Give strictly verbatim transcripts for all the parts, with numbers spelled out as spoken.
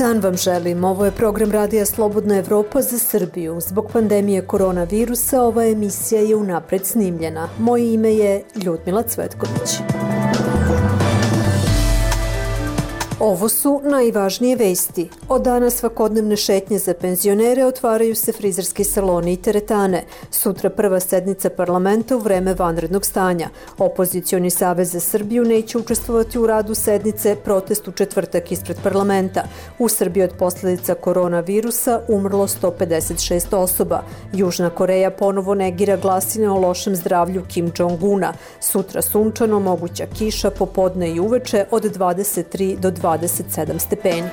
dan vam želim. Ovo je program Radija Slobodna Evropa za Srbiju. Zbog pandemije koronavirusa ova emisija je unapred snimljena. Moje ime je Ljudmila Cvetković. Ovo su najvažnije vesti. Od dana svakodnevne šetnje za penzionere otvaraju se frizerski saloni i teretane. Sutra prva sednica parlamenta u vreme vanrednog stanja. Opozicioni savez za Srbiju neće učestvovati u radu sednice, protest u četvrtak ispred parlamenta. U Srbiji od posljedica koronavirusa umrlo sto pedeset šest osoba. Južna Koreja ponovo negira glasine o lošem zdravlju Kim Jong-una. Sutra sunčano, moguća kiša popodne i uveče od dvadeset tri do dvadeset sedam stepeni.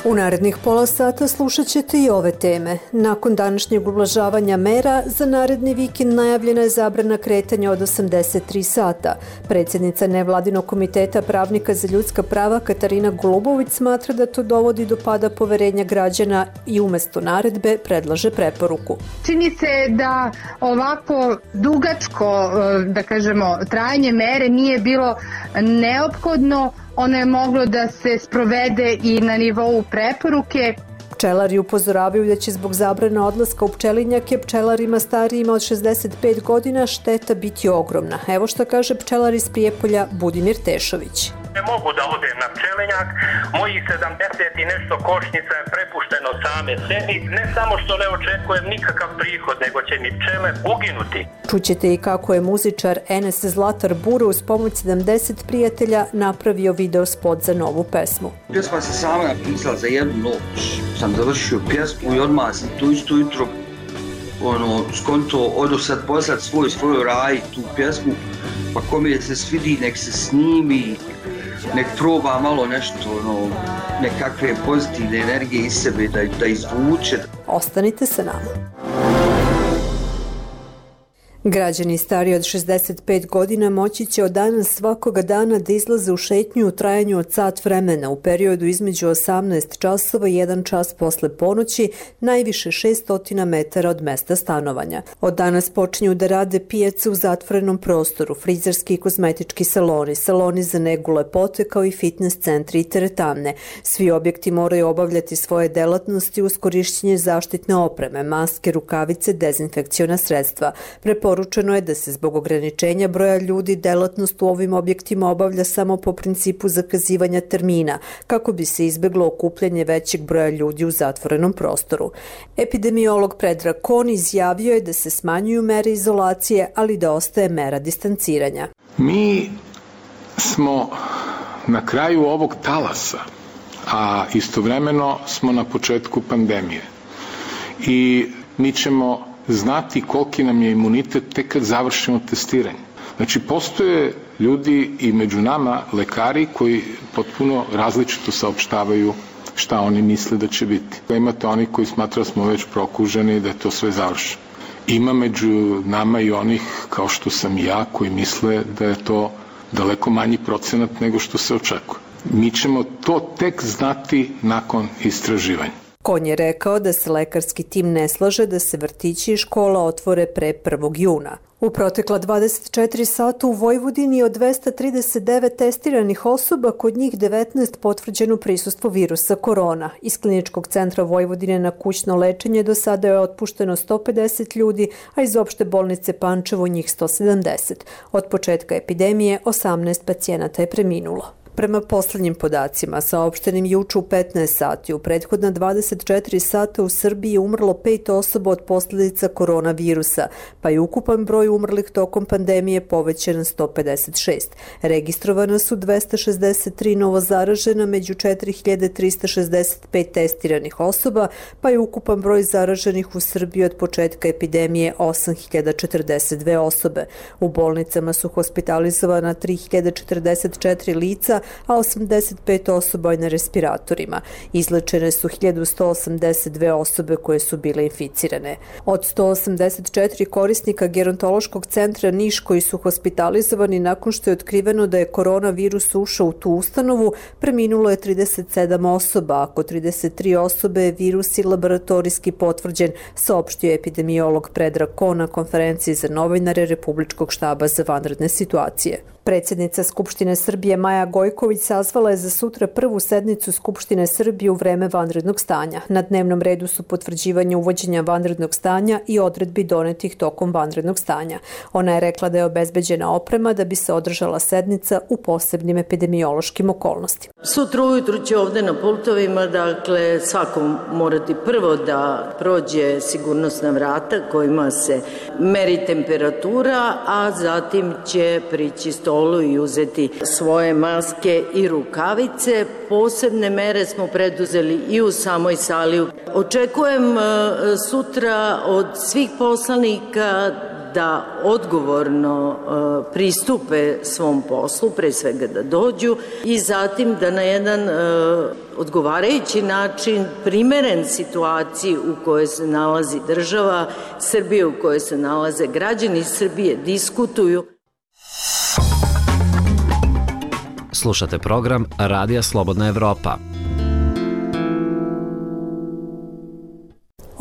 U narednih pola sata slušat ćete i ove teme. Nakon današnjeg ublažavanja mera, za naredni vikend najavljena je zabrana kretanja od osamdeset tri sata. Predsjednica nevladinog komiteta pravnika za ljudska prava Katarina Golubović smatra da to dovodi do pada poverenja građana i umjesto naredbe predlaže preporuku. Čini se da ovako dugačko, da kažemo, trajanje mere nije bilo neophodno. Ono je moglo da se sprovede i na nivou preporuke. Pčelari upozoravaju da će zbog zabrana odlaska u pčelinjake pčelarima starijima od šezdeset pet godina šteta biti ogromna. Evo što kaže pčelar iz Prijepolja Budimir Tešović. Ne mogu da odem na pčelinjak, mojih sedamdeset i nešto košnica je prepušteno same sebi, ne samo što ne očekujem nikakav prihod, nego će mi pčele uginuti. Čućete i kako je muzičar Enes Zlatar Buro uz pomoć sedamdeset prijatelja napravio video spot za novu pesmu. Pjesma se sama napisala za jednu noć, sam završio pjesmu i odmah sam tu isto jutro ono, skonto odo sad poslat svoj svoj raj tu pjesmu, pa kome se svidi nek se snimi, nek proba malo nešto, ono, nekakve pozitivne energije iz sebe da, da izvuče. Ostanite sa nama. Građani stariji od šezdeset pet godina moći će od danas svakoga dana da izlaze u šetnju u trajanju od sat vremena u periodu između osamnaest časova i jedan čas posle ponoći, najviše šessto metara od mesta stanovanja. Od danas počinju da rade pijace u zatvorenom prostoru, frizerski i kozmetički saloni, saloni za negu lepote kao i fitness centri i teretane. Svi objekti moraju obavljati svoje delatnosti uz korišćenje zaštitne opreme, maske, rukavice, dezinfekciona sredstva. Preporučeno je da se zbog ograničenja broja ljudi delatnost u ovim objektima obavlja samo po principu zakazivanja termina, kako bi se izbeglo okupljanje većeg broja ljudi u zatvorenom prostoru. Epidemiolog Predrag Kon izjavio je da se smanjuju mere izolacije, ali da ostaje mera distanciranja. Mi smo na kraju ovog talasa, a istovremeno smo na početku pandemije. I mi ćemo znati koliki nam je imunitet tek kad završimo testiranje. Znači, postoje ljudi i među nama lekari koji potpuno različito saopštavaju šta oni misle da će biti. Imate oni koji smatraju da smo već prokuženi i da je to sve završeno. Ima među nama i onih, kao što sam i ja, koji misle da je to daleko manji procenat nego što se očekuje. Mi ćemo to tek znati nakon istraživanja. Kon je rekao da se lekarski tim ne slaže da se vrtići i škola otvore pre prvog juna. U protekla dvadeset četiri sata u Vojvodini od dvesta trideset devet testiranih osoba, kod njih devetnaest potvrđeno prisustvo virusa korona. Iz Kliničkog centra Vojvodine na kućno lečenje do sada je otpušteno sto pedeset ljudi, a iz opšte bolnice Pančevo njih sto sedamdeset. Od početka epidemije osamnaest pacijenata je preminulo. Prema poslednjim podacima, saopštenim juče u petnaest sati, u prethodna dvadeset četiri sata u Srbiji je umrlo pet osoba od posljedica koronavirusa, pa je ukupan broj umrlih tokom pandemije povećan na sto pedeset šest. Registrovana su dvesta šezdeset tri novozaražena među četiri hiljade trista šezdeset pet testiranih osoba, pa je ukupan broj zaraženih u Srbiji od početka epidemije osam hiljada četrdeset dve osobe. U bolnicama su hospitalizovana tri hiljade četrdeset četiri lica, a osamdeset pet osoba je na respiratorima. Izlečene su hiljadu sto osamdeset dve osobe koje su bile inficirane. Od sto osamdeset četiri korisnika gerontološkog centra Niš koji su hospitalizovani nakon što je otkriveno da je koronavirus ušao u tu ustanovu, preminulo je trideset sedam osoba, a kod trideset tri osobe je virus i laboratorijski potvrđen, saopštio epidemiolog Predrag Kon na konferenciji za novinare Republičkog štaba za vanredne situacije. Predsjednica Skupštine Srbije Maja Gojković sazvala je za sutra prvu sednicu Skupštine Srbije u vreme vanrednog stanja. Na dnevnom redu su potvrđivanje uvođenja vanrednog stanja i odredbi donetih tokom vanrednog stanja. Ona je rekla da je obezbeđena oprema da bi se održala sednica u posebnim epidemiološkim okolnostima. Sutra ujutru će ovde na pultovima, dakle, svako morati prvo da prođe sigurnosna vrata kojima se meri temperatura, a zatim će prići stolu i uzeti svoje maske i rukavice. Posebne mere smo preduzeli i u samoj sali. Očekujem sutra od svih poslanika da odgovorno pristupe svom poslu, pre svega da dođu i zatim da na jedan odgovarajući način, primeren situaciji u kojoj se nalazi država Srbije, u kojoj se nalaze građani Srbije, diskutuju. Slušate program Radija Slobodna Evropa.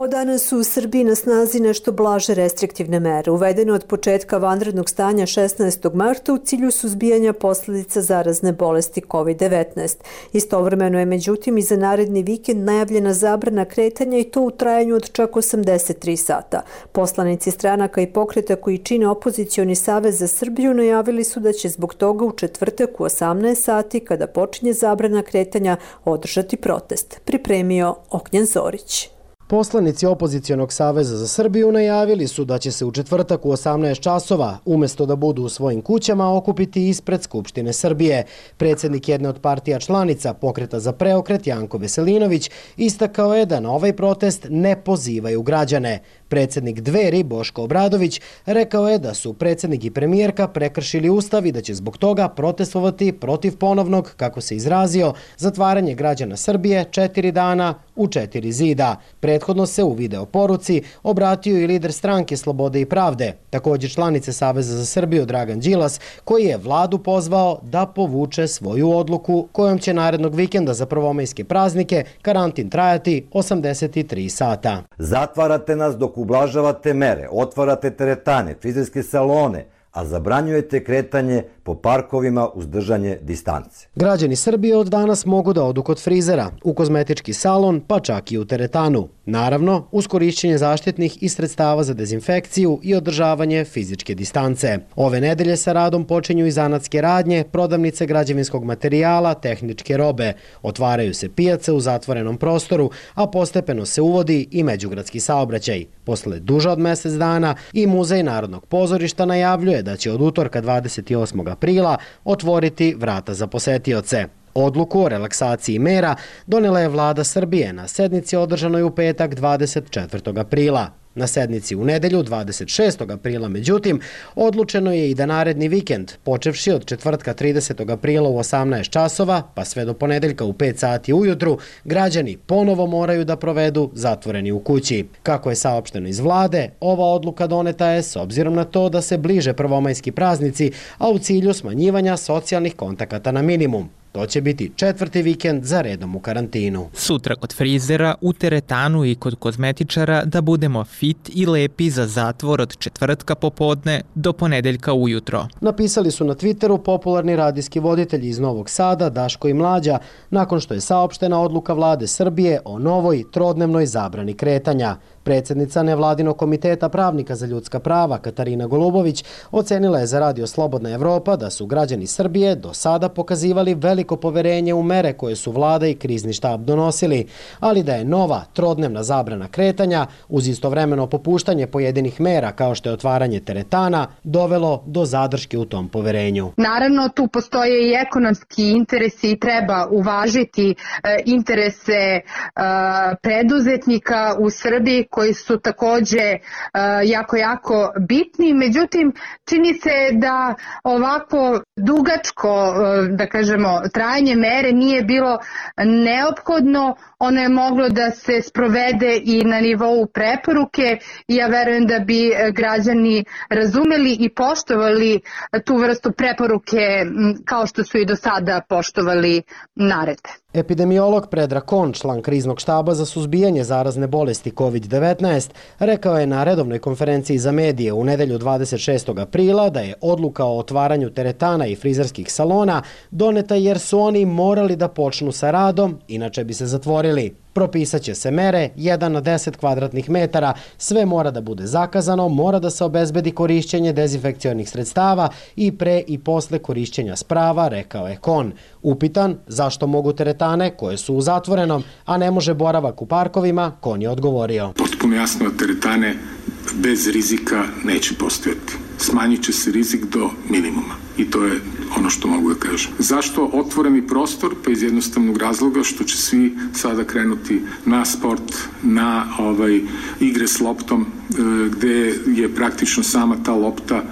Od danas su u Srbiji na snazi nešto blaže restriktivne mere, uvedene od početka vanrednog stanja šesnaestog marta u cilju suzbijanja posljedica zarazne bolesti kovid devetnaest. Istovremeno je međutim i za naredni vikend najavljena zabrana kretanja i to u trajanju od čak osamdeset tri sata. Poslanici stranaka i pokreta koji čine opozicioni savez za Srbiju najavili su da će zbog toga u četvrtak u osamnaest sati, kada počinje zabrana kretanja, održati protest. Pripremio Ognjen Zorić. Poslanici Opozicionog saveza za Srbiju najavili su da će se u četvrtak u osamnaest časova, umesto da budu u svojim kućama, okupiti ispred Skupštine Srbije. Predsjednik jedne od partija članica Pokreta za preokret, Janko Veselinović, istakao je da na ovaj protest ne pozivaju građane. Predsjednik Dveri, Boško Obradović, rekao je da su predsjednik i premijerka prekršili ustav i da će zbog toga protestovati protiv ponovnog, kako se izrazio, zatvaranje građana Srbije četiri dana u četiri zida. Prethodno se u video poruci obratio i lider stranke Slobode i pravde, također članice Saveza za Srbiju Dragan Đilas, koji je vladu pozvao da povuče svoju odluku kojom će narednog vikenda za prvomajske praznike karantin trajati osamdeset tri sata. Zatvarate nas dok ublažavate mere, otvarate teretane, frizerske salone, a zabranjujete kretanje po parkovima uz držanje distance. Građani Srbije od danas mogu da odu kod frizera, u kozmetički salon, pa čak i u teretanu. Naravno, uz korišćenje zaštitnih i sredstava za dezinfekciju i održavanje fizičke distance. Ove nedelje sa radom počinju i zanatske radnje, prodavnice građevinskog materijala, tehničke robe. Otvaraju se pijace u zatvorenom prostoru, a postepeno se uvodi i međugradski saobraćaj. Posle duže od mjesec dana i Muzej Narodnog pozorišta najavljuje da će od utorka dvadeset osmog aprila otvoriti vrata za posetioce. Odluku o relaksaciji mera donela je vlada Srbije na sednici održanoj u petak dvadeset četvrtog aprila. Na sednici u nedelju dvadeset šestog aprila, međutim, odlučeno je i da naredni vikend, počevši od četvrtka tridesetog aprila u osamnaest časova, pa sve do ponedeljka u pet sati ujutru, građani ponovo moraju da provedu zatvoreni u kući. Kako je saopšteno iz vlade, ova odluka doneta je s obzirom na to da se bliže prvomajski praznici, a u cilju smanjivanja socijalnih kontakata na minimum. To će biti četvrti vikend za redom u karantinu. Sutra kod frizera, u teretanu i kod kozmetičara da budemo fit i lepi za zatvor od četvrtka popodne do ponedeljka ujutro. Napisali su na Twitteru popularni radijski voditelji iz Novog Sada, Daško i Mlađa, nakon što je saopštena odluka vlade Srbije o novoj trodnevnoj zabrani kretanja. Predsjednica nevladinog komiteta pravnika za ljudska prava Katarina Golubović ocenila je za Radio Slobodna Evropa da su građani Srbije do sada pokazivali veliko poverenje u mere koje su vlada i krizni štab donosili, ali da je nova trodnevna zabrana kretanja uz istovremeno popuštanje pojedinih mera kao što je otvaranje teretana dovelo do zadrške u tom poverenju. Naravno, tu postoje i ekonomski interesi i treba uvažiti interese preduzetnika u Srbiji koji su također jako, jako bitni. Međutim, čini se da ovako dugačko, da kažemo, trajanje mere nije bilo neophodno. Ono je moglo da se sprovede i na nivou preporuke i ja verujem da bi građani razumeli i poštovali tu vrstu preporuke kao što su i do sada poštovali naredbe. Epidemiolog Predrag Kon, član kriznog štaba za suzbijanje zarazne bolesti kovid devetnaest, rekao je na redovnoj konferenciji za medije u nedelju dvadeset šestog aprila da je odluka o otvaranju teretana i frizerskih salona doneta jer su oni morali da počnu sa radom, inače bi se zatvorili. Propisat će se mere jedan na deset kvadratnih metara, sve mora da bude zakazano, mora da se obezbedi korišćenje dezinfekcionih sredstava i pre i posle korišćenja sprava, rekao je Kon. Upitan zašto mogu teretane koje su u zatvorenom, a ne može boravak u parkovima, Kon je odgovorio. Potpuno jasno da teretane bez rizika neće postojati. Smanjit će se rizik do minimuma i to je ono što mogu da kažem. Zašto otvoreni prostor? Pa iz jednostavnog razloga što će svi sada krenuti na sport, na ovaj, igre s loptom, e, gde je praktično sama ta lopta e,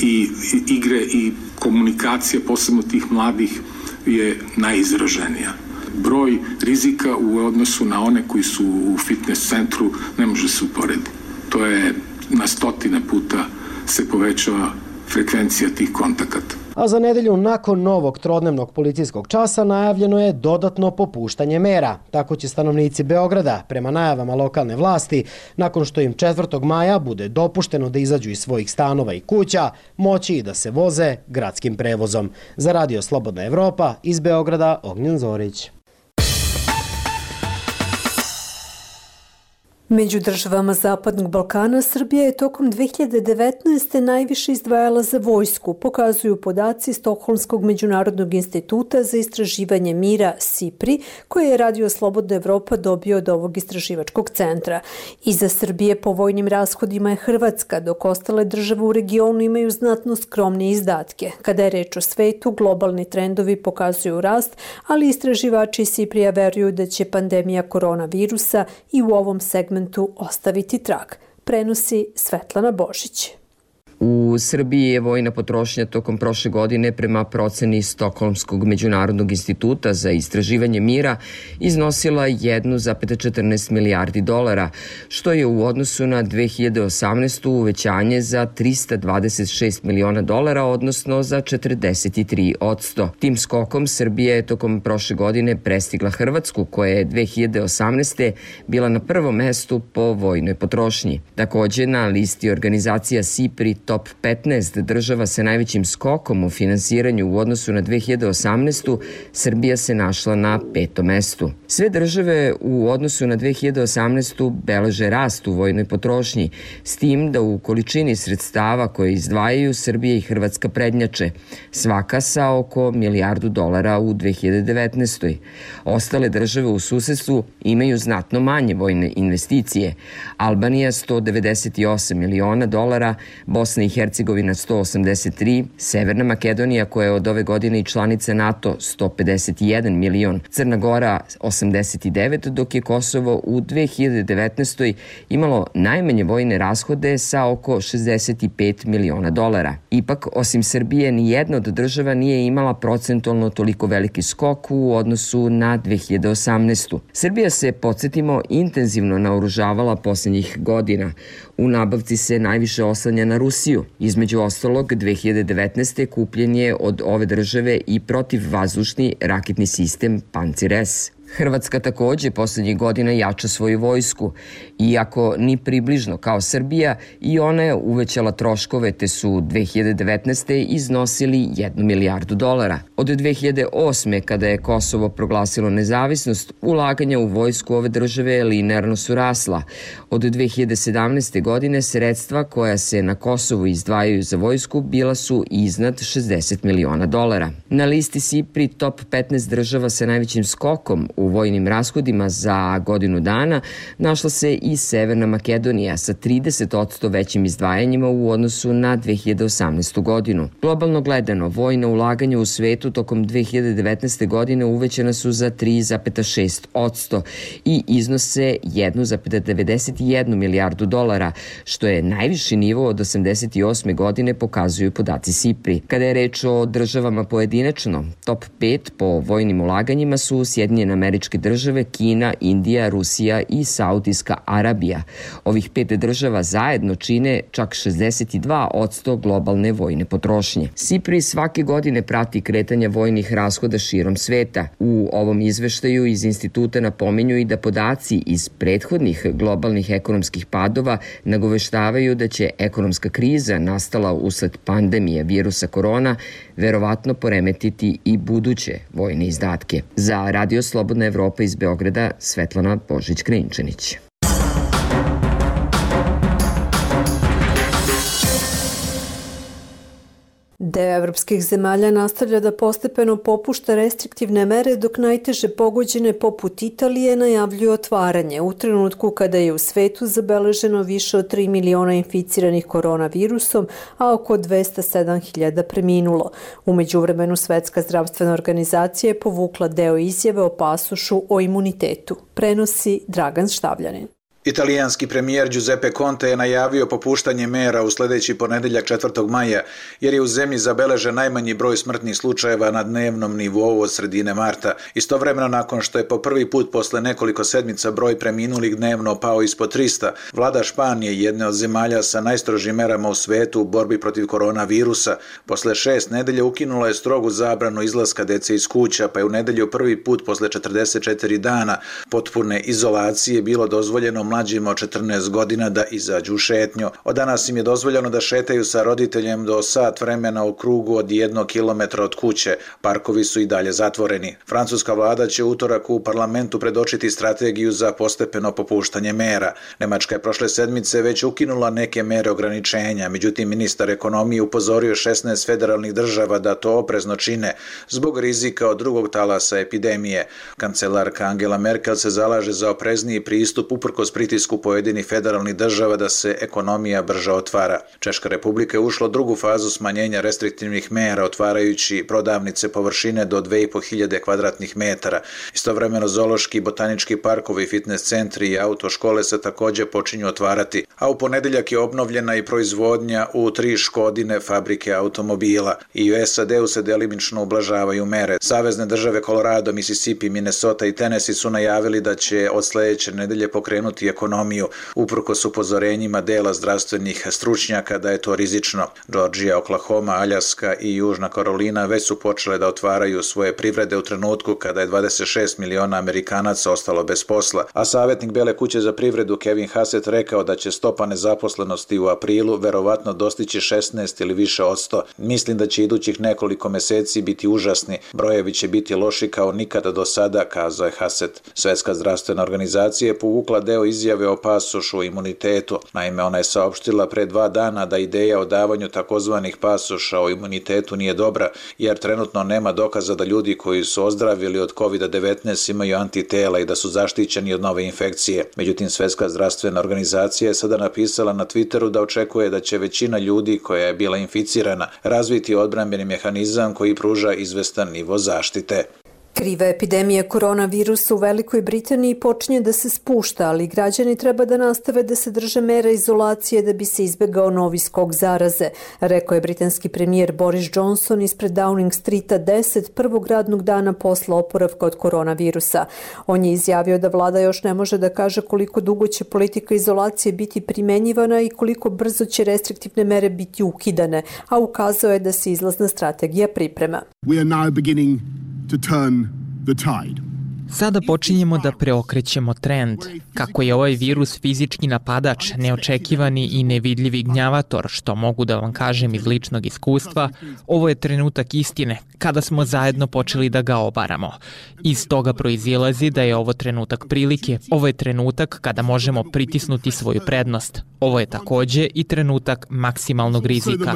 i, i igre i komunikacija, posebno tih mladih, je najizraženija. Broj rizika u odnosu na one koji su u fitness centru ne može se uporediti. To je na stotine puta se povećava frekvencija tih kontakata. A za nedelju nakon novog trodnevnog policijskog časa najavljeno je dodatno popuštanje mera. Tako će stanovnici Beograda, prema najavama lokalne vlasti, nakon što im četvrtog maja bude dopušteno da izađu iz svojih stanova i kuća, moći i da se voze gradskim prevozom. Za Radio Slobodna Evropa, iz Beograda, Ognjen Zorić. Među državama Zapadnog Balkana Srbija je tokom dve hiljade devetnaeste. najviše izdvajala za vojsku, pokazuju podaci Stokholmskog međunarodnog instituta za istraživanje mira SIPRI, koje je Radio Slobodna Evropa dobio od ovog istraživačkog centra. Iza Srbije po vojnim rashodima je Hrvatska, dok ostale države u regionu imaju znatno skromnije izdatke. Kada je reč o svetu, globalni trendovi pokazuju rast, ali istraživači SIPRI-a veruju da će pandemija koronavirusa i u ovom segmentu ostaviti trag, prenosi Svetlana Božić. U Srbiji je vojna potrošnja tokom prošle godine prema proceni Stokholmskog međunarodnog instituta za istraživanje mira iznosila jedan zarez četrnaest milijardi dolara, što je u odnosu na dve hiljade osamnaestu. uvećanje za trista dvadeset šest miliona dolara, odnosno za četrdeset tri posto. Tim skokom Srbija je tokom prošle godine prestigla Hrvatsku, koja je dve hiljade osamnaeste. bila na prvom mestu po vojnoj potrošnji. Takođe, na listi organizacija SIPRI top petnaest država sa najvećim skokom u finansiranju u odnosu na dve hiljade osamnaestu. Srbija se našla na petom mestu. Sve države u odnosu na dve hiljade osamnaestu. beleže rast u vojnoj potrošnji, s tim da u količini sredstava koje izdvajaju Srbija i Hrvatska prednjače, svaka sa oko milijardu dolara u dve hiljade devetnaestoj. Ostale države u susedstvu imaju znatno manje vojne investicije. Albanija sto devedeset osam miliona dolara, Bosna i Hercegovina sto osamdeset tri, Severna Makedonija, koja je od ove godine i članica NATO, sto pedeset jedan milion, Crna Gora osamdeset devet, dok je Kosovo u dve hiljade devetnaestoj. imalo najmanje vojne rashode sa oko šezdeset pet miliona dolara. Ipak, osim Srbije, ni jedna od država nije imala procentualno toliko veliki skok u odnosu na dve hiljade osamnaestu. Srbija se, podsjetimo, intenzivno naoružavala posljednjih godina. U nabavci se najviše oslanja na Rusiju. Između ostalog, dve hiljade devetnaeste. kupljen je od ove države i protivvazdušni raketni sistem Pancir S. Hrvatska takođe poslednjih godina jača svoju vojsku. Iako ni približno kao Srbija, i ona je uvećala troškove, te su dve hiljade devetnaeste. iznosili jednu milijardu dolara. Od dve hiljade osme. kada je Kosovo proglasilo nezavisnost, ulaganja u vojsku ove države linearno su rasla. Od dve hiljade sedamnaeste. godine sredstva koja se na Kosovu izdvajaju za vojsku bila su iznad šezdeset miliona dolara. Na listi SIPRI top petnaest država sa najvećim skokom u vojnim rashodima za godinu dana našla se i Severna Makedonija sa trideset posto većim izdvajanjima u odnosu na dve hiljade osamnaestu. godinu. Globalno gledano, vojna ulaganja u svetu tokom dve hiljade devetnaeste. godine uvećana su za tri zarez šest posto i iznose jedan zarez devedeset jedan milijardu dolara, što je najviši nivo od osamdeset osme. godine, pokazuju podaci SIPRI. Kada je reč o državama pojedinačno, top pet po vojnim ulaganjima su Sjedinjene Američke Američke države, Kina, Indija, Rusija i Saudijska Arabija. Ovih pet država zajedno čine čak šezdeset dva posto globalne vojne potrošnje. SIPRI svake godine prati kretanje vojnih rashoda širom sveta. U ovom izveštaju iz instituta napominju i da podaci iz prethodnih globalnih ekonomskih padova nagoveštavaju da će ekonomska kriza nastala usled pandemije virusa korona verovatno poremetiti i buduće vojne izdatke. Za Radio Slobodna Evropa iz Beograda, Svetlana Božić-Krinčanić. Deo evropskih zemalja nastavlja da postepeno popušta restriktivne mere, dok najteže pogođene poput Italije najavljuju otvaranje u trenutku kada je u svetu zabeleženo više od tri miliona inficiranih koronavirusom, a oko dvesta sedam hiljada preminulo. U međuvremenu Svetska zdravstvena organizacija je povukla deo izjave o pasošu o imunitetu. Prenosi Dragan Štavljanin. Italijanski premijer Giuseppe Conte je najavio popuštanje mera u sledeći ponedeljak četvrtog maja, jer je u zemlji zabeležen najmanji broj smrtnih slučajeva na dnevnom nivou od sredine marta. Istovremeno, nakon što je po prvi put posle nekoliko sedmica broj preminulih dnevno pao ispod trista, vlada Španije, jedne od zemalja sa najstrožim merama u svetu u borbi protiv koronavirusa, posle šest nedelja ukinula je strogu zabranu izlaska dece iz kuća, pa je u nedelju prvi put posle četrdeset četiri dana potpune izolacije bilo dozvoljeno mlađima od četrnaest godina da izađu u šetnju. Od danas im je dozvoljeno da šetaju sa roditeljem do sat vremena u krugu od jednog kilometra od kuće. Parkovi su i dalje zatvoreni. Francuska vlada će utorak u parlamentu predočiti strategiju za postepeno popuštanje mera. Nemačka je prošle sedmice već ukinula neke mere ograničenja, međutim ministar ekonomije upozorio šesnaest federalnih država da to oprezno čine zbog rizika od drugog talasa epidemije. Kancelarka Angela Merkel se zalaže za oprezniji pristup uprkos pritisku pojedinih federalnih država da se ekonomija brže otvara. Češka republika je ušla u drugu fazu smanjenja restriktivnih mera, otvarajući prodavnice površine do dve i po hiljade kvadratnih metara. Istovremeno zoološki, botanički parkovi, fitness centri i autoškole se takođe počinju otvarati, a u ponedeljak je obnovljena i proizvodnja u tri Škodine fabrike automobila. I u S A D-u se delimično ublažavaju mere. Savezne države Colorado, Mississippi, Minnesota i Tennessee su najavili da će od sledeće nedelje pokrenuti ekonomiju, uprkos upozorenjima dela zdravstvenih stručnjaka da je to rizično. Georgija, Oklahoma, Aljaska i Južna Karolina već su počele da otvaraju svoje privrede u trenutku kada je dvadeset šest miliona Amerikanaca ostalo bez posla, a savjetnik Bele kuće za privredu Kevin Hassett rekao da će stopa nezaposlenosti u aprilu verovatno dostići šesnaest ili više od sto. Mislim da će idućih nekoliko meseci biti užasni. Brojevi će biti loši kao nikada do sada, kazao je Hassett. Svetska zdravstvena organizacija je povukla deo izjave o pasošu o imunitetu. Naime, ona je saopštila pre dva dana da ideja o davanju takozvanih pasoša o imunitetu nije dobra, jer trenutno nema dokaza da ljudi koji su ozdravili od kovid devetnaest imaju antitela i da su zaštićeni od nove infekcije. Međutim, Svetska zdravstvena organizacija je sada napisala na Twitteru da očekuje da će većina ljudi koja je bila inficirana razviti odbrambeni mehanizam koji pruža izvestan nivo zaštite. Kriva epidemija koronavirusa u Velikoj Britaniji počinje da se spušta, ali građani treba da nastave da se drže mera izolacije da bi se izbegao novi skok zaraze, rekao je britanski premijer Boris Johnson ispred Downing Streeta deset prvog radnog dana posle oporavka od koronavirusa. On je izjavio da vlada još ne može da kaže koliko dugo će politika izolacije biti primenjivana i koliko brzo će restriktivne mere biti ukidane, a ukazao je da se izlazna strategija priprema. We are now beginning to turn the tide. Sada počinjemo da preokrećemo trend. Kako je ovaj virus fizički napadač, neočekivani i nevidljivi gnjavator, što mogu da vam kažem iz ličnog iskustva, ovo je trenutak istine, kada smo zajedno počeli da ga obaramo. Iz toga proizilazi da je ovo trenutak prilike, ovo je trenutak kada možemo pritisnuti svoju prednost. Ovo je takođe i trenutak maksimalnog rizika.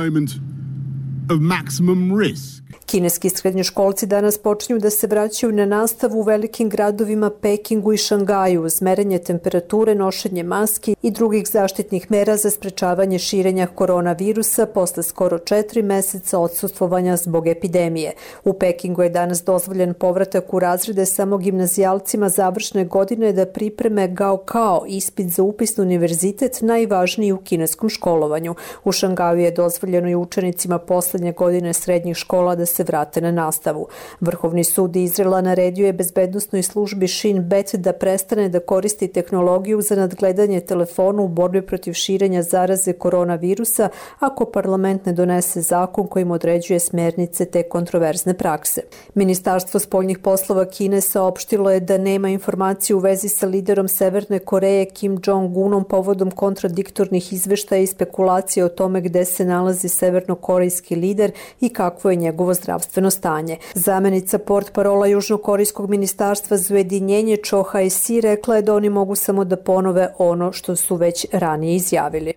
Kineski srednjoškolci danas počinju da se vraćaju na nastavu u velikim gradovima Pekingu i Šangaju uz merenje temperature, nošenje maski i drugih zaštitnih mera za sprečavanje širenja koronavirusa posle skoro četiri meseca odsustvovanja zbog epidemije. U Pekingu je danas dozvoljen povratak u razrede samo gimnazijalcima završne godine da pripreme Gaokao, ispit za upis na univerzitet najvažniji u kineskom školovanju. U Šangaju je dozvoljeno i učenicima poslednje poslednje godine srednjih škola da se vrate na nastavu. Vrhovni sud Izraela naredio je bezbednosnoj službi Shin Bet da prestane da koristi tehnologiju za nadgledanje telefona u borbi protiv širenja zaraze koronavirusa ako parlament ne donese zakon kojim određuje smernice te kontroverzne prakse. Ministarstvo spoljnih poslova Kine saopštilo je da nema informaciju u vezi sa liderom Severne Koreje Kim Jong-unom povodom kontradiktornih izveštaja i spekulacije o tome gde se nalazi severnokorejski lider i kakvo je njegovo zdravstveno stanje. Zamenica portparola Južnokorejskog ministarstva za ujedinjenje Cho Hae-si rekla je da oni mogu samo da ponove ono što su već ranije izjavili.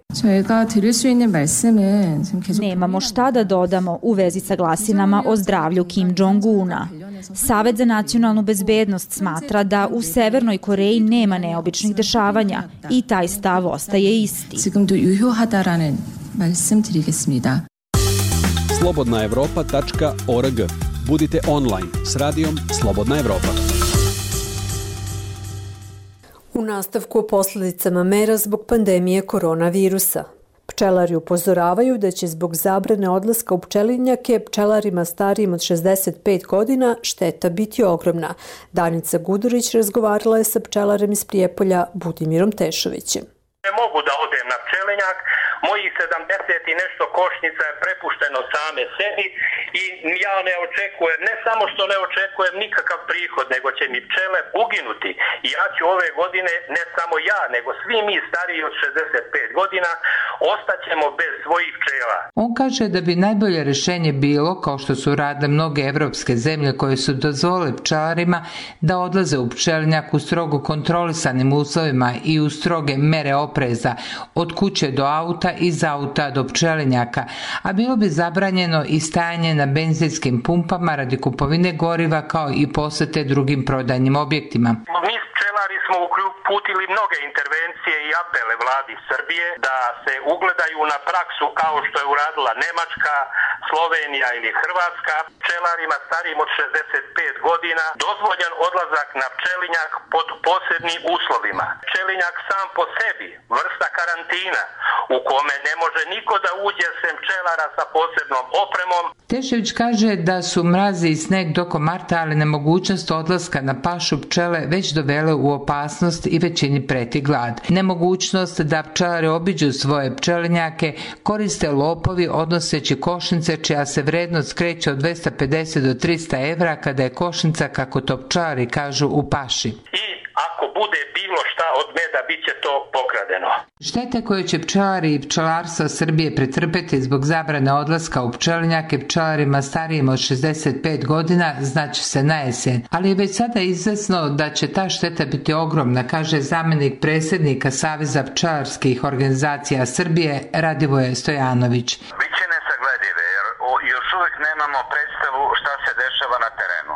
Nemamo šta da dodamo u vezi sa glasinama o zdravlju Kim Jong-una. Savet za nacionalnu bezbednost smatra da u Severnoj Koreji nema neobičnih dešavanja i taj stav ostaje isti. slobodna evropa tačka org. Budite online s radijom Slobodna Evropa. U nastavku o posledicama mera zbog pandemije koronavirusa. Pčelari upozoravaju da će zbog zabrane odlaska u pčelinjake pčelarima starijim od šezdeset pet godina šteta biti ogromna. Danica Gudurić razgovarala je sa pčelarem iz Prijepolja Budimirom Tešovićem. Ne mogu da odem na pčelinjak, mojih sedamdeset i nešto košnica je prepušteno same sebi i ja ne očekujem, ne samo što ne očekujem nikakav prihod, nego će mi pčele uginuti. I ja ću ove godine, ne samo ja, nego svi mi stariji od šezdeset pet godina, ostaćemo bez svojih pčela. On kaže da bi najbolje rešenje bilo, kao što su radile mnoge evropske zemlje koje su dozvolile pčelarima da odlaze u pčelinjak u strogo kontrolisanim uslovima i u stroge mere opreza, od kuće do auta, iz auta do pčelinjaka, a bilo bi zabranjeno i stajanje na benzinskim pumpama radi kupovine goriva kao i posete drugim prodajnim objektima. Mi pčelari smo uputili mnoge intervencije i apele vladi Srbije da se ugledaju na praksu kao što je uradila Nemačka, Slovenija ili Hrvatska. Pčelarima starijim od šezdeset pet godina dozvoljen odlazak na pčelinjak pod posebnim uslovima. Pčelinjak sam po sebi, vrsta karantina, u kome ne može niko da uđe sem pčelara sa posebnom opremom. Tešević kaže da su mrazi i sneg tokom marta, ali nemogućnost odlaska na pašu pčele već dovele u opasnost i većini preti glad. Nemogućnost da pčelari obiđu svoje pčelinjake koriste lopovi odnoseći košnice čija se vrednost kreće od dvesta pedeset do trista evra kada je košnica, kako to pčelari kažu, u paši. I ako bude bilo šta od meda, bit će to pokradeno. Štete koje će pčelari i pčelarstva Srbije pretrpeti zbog zabrane odlaska u pčelinjake pčelarima starijim od šezdeset pet godina znaće se na jesen, ali je već sada izvesno da će ta šteta biti ogromna, kaže zamenik predsjednika Saveza pčelarskih organizacija Srbije Radivoje Stojanović. Biće nesagledive jer još uvijek nemamo predstavu šta se dešava na terenu.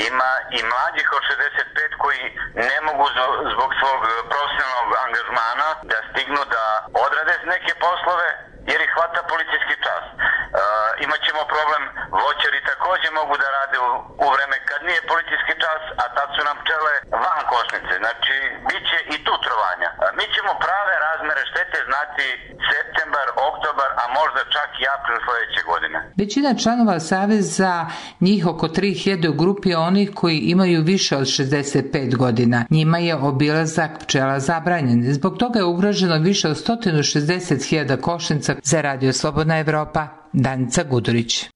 Ima i mlađih od šezdeset pet koji ne mogu zbog svog profesionalnog angažmana da stignu da odrade neke poslove jer ih hvata policijski čas. E, imaćemo problem, voćari također mogu da rade u, u vreme kad nije policijski čas, a tad su nam pčele van košnice. Znači, bit će i tu trovanja. E, mi ćemo prave razmere štete znati septembar, oktobar, a možda čak i april sljedeće godine. Većina članova Saveza, njih oko tri hiljade u grupi onih koji imaju više od šezdeset pet godina. Njima je obilazak pčela zabranjen. Zbog toga je ugroženo više od sto šezdeset hiljada košnica. Za Radio Slobodna Evropa, Danica Gudurić.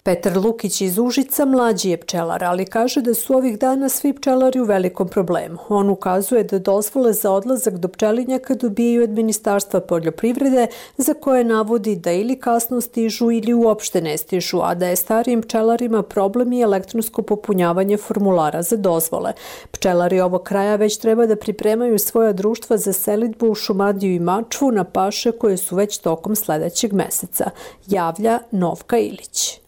Petar Lukić iz Užica mlađi je pčelar, ali kaže da su ovih dana svi pčelari u velikom problemu. On ukazuje da dozvole za odlazak do pčelinjaka dobijaju od Ministarstva poljoprivrede, za koje navodi da ili kasno stižu ili uopšte ne stižu, a da je starijim pčelarima problem i elektronsko popunjavanje formulara za dozvole. Pčelari ovog kraja već treba da pripremaju svoja društva za selidbu u Šumadiju i Mačvu na paše koje su već tokom sledećeg meseca, javlja Novka Ilić.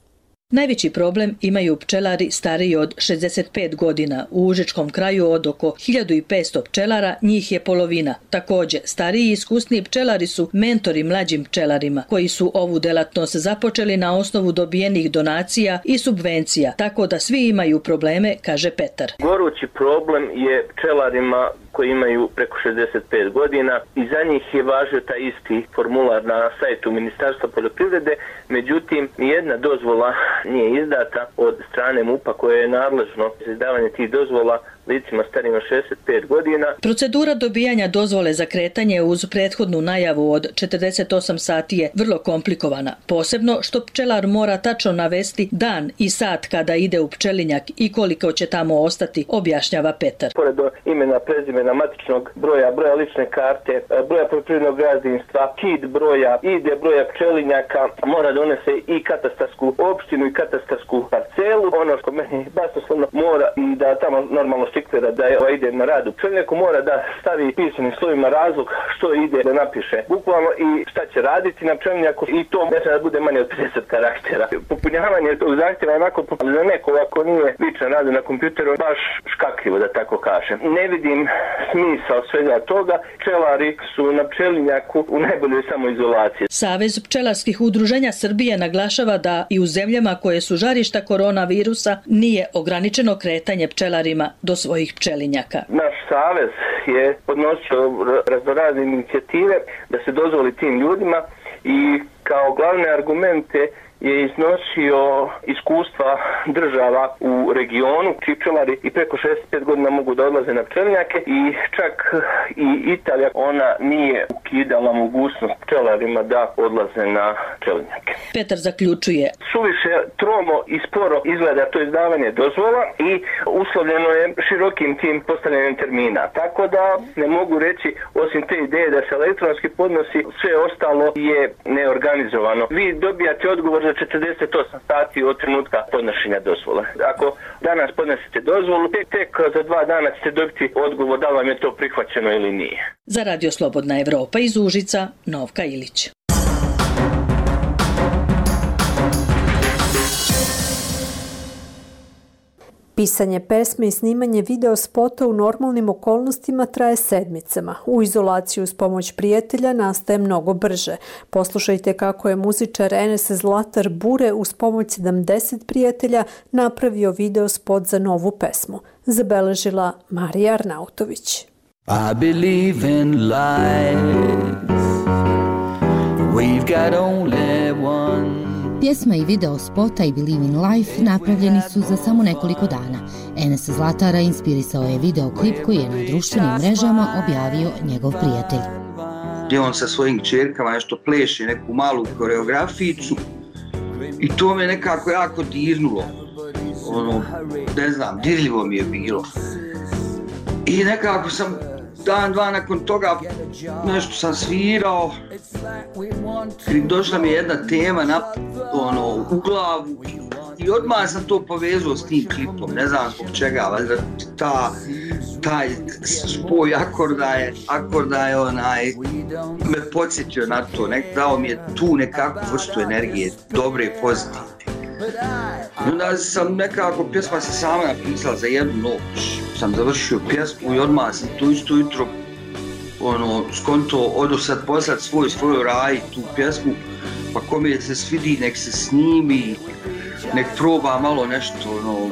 Najveći problem imaju pčelari stariji od šezdeset pet godina. U Užičkom kraju od oko hiljadu petsto pčelara, njih je polovina. Također, stariji i iskusniji pčelari su mentori mlađim pčelarima, koji su ovu delatnost započeli na osnovu dobijenih donacija i subvencija, tako da svi imaju probleme, kaže Petar. Gorući problem je pčelarima koji imaju preko šezdeset pet godina i za njih je važio taj isti formular na sajtu Ministarstva poljoprivrede, međutim nijedna dozvola nije izdata od strane MUP-a koje je nadležno za izdavanje tih dozvola licima starima šezdeset pet godina. Procedura dobijanja dozvole za kretanje uz prethodnu najavu od četrdeset osam sati je vrlo komplikovana, posebno što pčelar mora tačno navesti dan i sat kada ide u pčelinjak i koliko će tamo ostati, objašnjava Petar. Pored imena, prezimena, matičnog broja, broja lične karte, broja poljoprivrednog gazdinstva, kid broja, ide broja pčelinjaka, mora donese i katastarsku opštinu i katastarsku parcelu. Ono što meni basnoslovno mora i da tamo normalno štikvera da je, ide na rad u pčelinjaku, mora da stavi pisanim slovima razlog što ide da napiše bukvalno i šta će raditi na pčelinjaku i to ne treba da bude manje od pedeset karaktera. Popunjavanje tog zahtjeva je onako za neko ako nije lično radi na kompjuteru baš škakljivo da tako kažem. Ne vidim smisao svega toga. Pčelari su na pčelinjaku u najboljoj samoizolaciji. Savez pčelarskih udruženja Srbije naglašava da i u zemljama koje su žarišta koronavirusa nije ograničeno kretanje pčelarima do svojih pčelinjaka. Naš savez je podnosio raznorazne inicijative da se dozvoli tim ljudima i kao glavne argumente je iznosio iskustva država u regionu, čiji pčelari i preko šezdeset pet godina mogu da odlaze na pčelinjake i čak i Italija, ona nije ukidala mogućnost pčelarima da odlaze na pčelinjake. Petar zaključuje. Suviše tromo i sporo izgleda to izdavanje dozvola i uslovljeno je širokim tim postavljanjem termina. Tako da ne mogu reći, osim te ideje da se elektronski podnosi, sve ostalo je neorganizovano. Vi dobijate odgovor za četrdeset osam sati od trenutka podnošenja dozvole. Ako danas podnesete dozvolu, tek, tek za dva dana ćete dobiti odgovor da li vam je to prihvaćeno ili nije. Za Radio Slobodna Evropa iz Užica, Novka Ilić. Pisanje pesme i snimanje video spota u normalnim okolnostima traje sedmicama. U izolaciji uz pomoć prijatelja nastaje mnogo brže. Poslušajte kako je muzičar Enes Zlatar Bure uz pomoć sedamdeset prijatelja napravio video spot za novu pesmu. Zabeležila Marija Arnautović. I believe in life. We've got only one. Pjesma i video spota I Believe in Life napravljeni su za samo nekoliko dana. Enes Zlatara inspirisao je videoklip koji je na društvenim mrežama objavio njegov prijatelj. Gdje on sa svojim kćerkama nešto pleše, neku malu koreograficu i to me nekako jako dirnulo. Ono, ne znam, dirljivo mi je bilo. I nekako sam dan, dva nakon toga nešto sam svirao i došla mi je jedna tema na, ono, u glavu i odmah sam to povezao s tim klipom, ne znam zbog čega, valjda ta, taj spoj akorda je, akorda je onaj, me podsjetio na to, nek, dao mi je tu nekakvu vrstu energije, dobre, pozitivne. I onda sam nekako, pjesma se sama napisala za jednu noć, sam završio pjesmu i odmah sam tu isto jutro ono, skonto odo sad poslat svoj svoj raj tu pjesmu, pa kome se svidi nek se snimi, nek proba malo nešto, ono,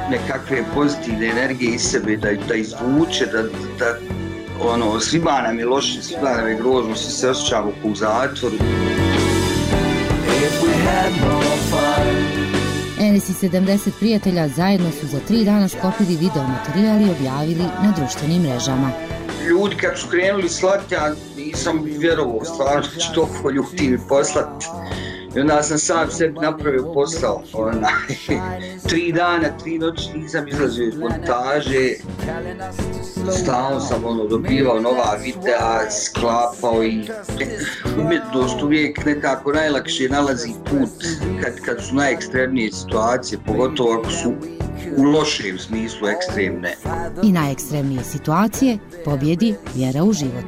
nekakve pozitivne energije iz sebe da, da izvuče, da, da ono, svima nam je loše, svima nam je grozno, svi se osjećamo kao u zatvoru. Enes I sedamdeset prijatelja zajedno su za tri dana sklopili video materijal i objavili na društvenim mrežama. Ljudi kad su krenuli slati, ja nisam vjerovao stvarno da će toliko ljudi mi poslati. I onda sam sam sebi napravio posao. Ona, tri dana, tri noći nisam izlazio iz montaže. Stalno sam ono, dobivao nova videa, sklapao i umjetnost uvijek nekako najlakše nalazi put kad, kad su najekstremnije situacije, pogotovo ako su u lošem smislu ekstremne. I najekstremnije situacije pobjedi vjera u život.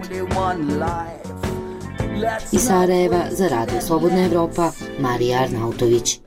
Iz Sarajeva za Radio Slobodna Evropa, Marija Arnautović.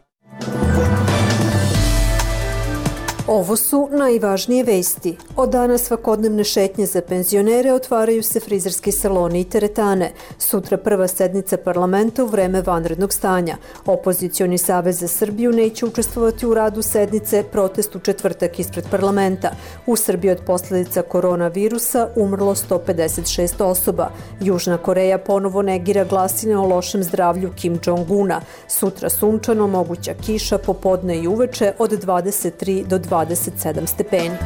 Ovo su najvažnije vesti. Od dana svakodnevne šetnje za penzionere otvaraju se frizerski saloni i teretane. Sutra prva sednica parlamenta u vreme vanrednog stanja. Opozicioni savez za Srbiju neće učestvovati u radu sednice, protest u četvrtak ispred parlamenta. U Srbiji od posljedica koronavirusa umrlo sto pedeset šest osoba. Južna Koreja ponovo negira glasine o lošem zdravlju Kim Jong-una. Sutra sunčano, moguća kiša popodne i uveče od dvadeset tri do dvadeset sedam stepeni.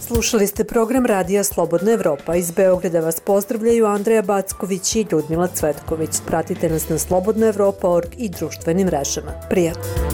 Slušali ste program Radija Slobodna Evropa. Iz Beograda vas pozdravljaju Andreja Backović i Ljudmila Cvetković. Pratite nas na slobodna evropa tačka org i društvenim mrežama. Prijatno!